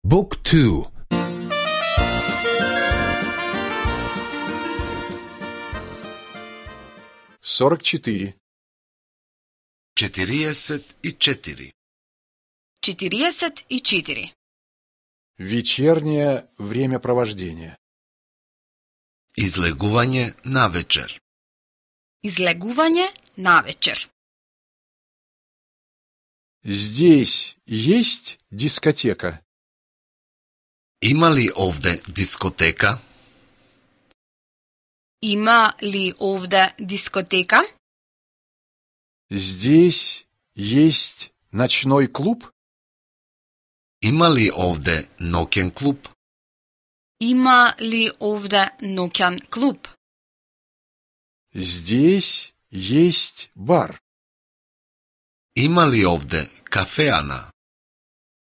Book 2. 44. 44. 44. Вечернее времяпровождение. Излегување навечер. Излегување навечер. Здесь есть дискотека? Има ли овде дискотека? Има ли овде дискотека? Здесь есть ночной клуб? Има ли овде ноќен клуб? Има ли овде ноќен клуб? Здесь есть бар. Има ли овде кафеана?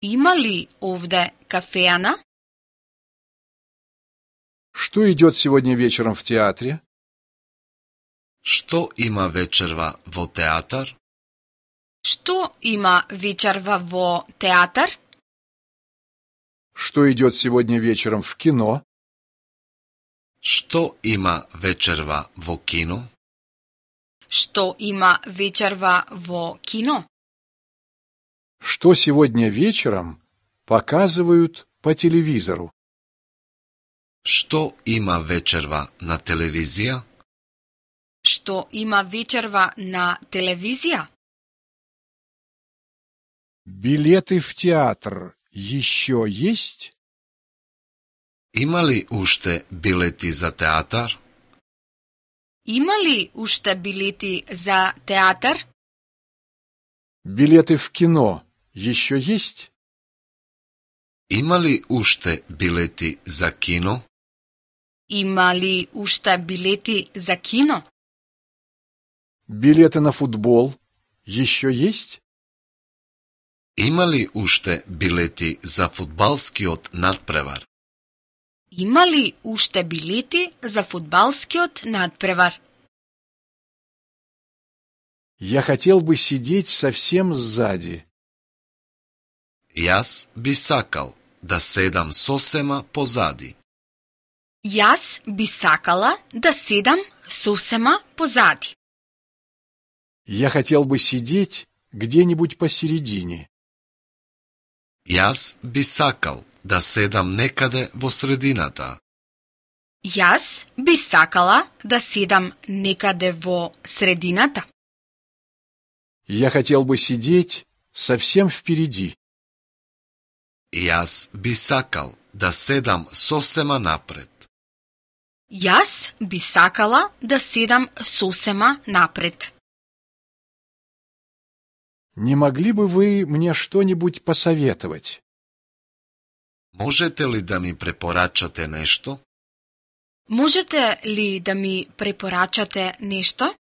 Има ли овде кафеана? Что идет сегодня вечером в театре? Што има вечерва во театар? Што има вечерва во театар? Что идет сегодня вечером в кино? Што има вечерва во кино? Што има вечерва во кино? Что сегодня вечером показывают по телевизору? Што има вечерва на телевизија? Што има вечерва на телевизија? Билеты в театр еще есть? Има ли уште билети за театар? Има ли уште билети за театар? Билеты в кино еще есть? Има ли уште билети за кино? Има ли уште билети за кино? Билеты на футбол еще есть? Има ли уште билети за фудбалскиот надпревар? Има ли уште билети за фудбалскиот надпревар? Я хотел бы сидеть совсем сзади. Јас би сакал да седам сосема позади. Јас би сакала да седам сосема позади. Я хотел бы сидеть где-нибудь посередине. Јас би сакал да седам некаде во средината. Јас би сакала да седам некаде во средината. Я хотел бы сидеть совсем впереди. Јас би сакал да седам сосема напред. Јас би сакала да седам сосема напред. Не могли бы вы мне что-нибудь посоветовать? Можете ли да ми препорачате нешто? Можете ли да ми препорачате нешто?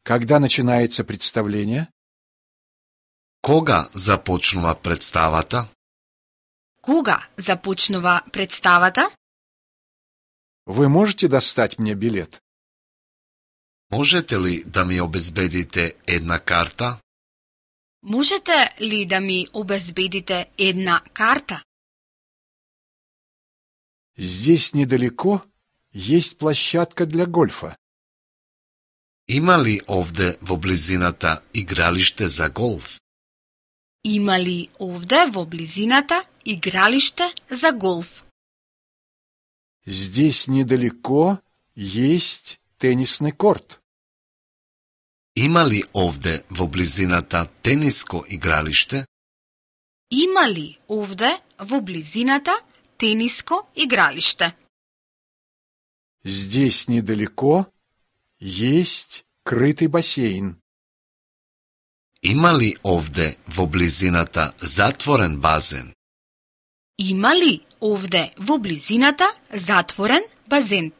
Когда начинается представление? Кога започнува представата? Кога започнува представата? Вы можете достать мне билет? Можете ли да ми обезбедите една карта? Можете ли да ми обезбедите една карта? Здесь недалеко есть площадка для гольфа. Има ли овде во близината игралиште за голф? Има ли овде во близината игралиште за голф? Здесь недалеко есть теннисный корт. Има ли овде во близината тениско игралиште? Има ли овде во близината тениско игралиште? Здесь недалеко есть крытый бассейн. Има ли овде во близината затворен базен? Има ли овде во близината затворен базен?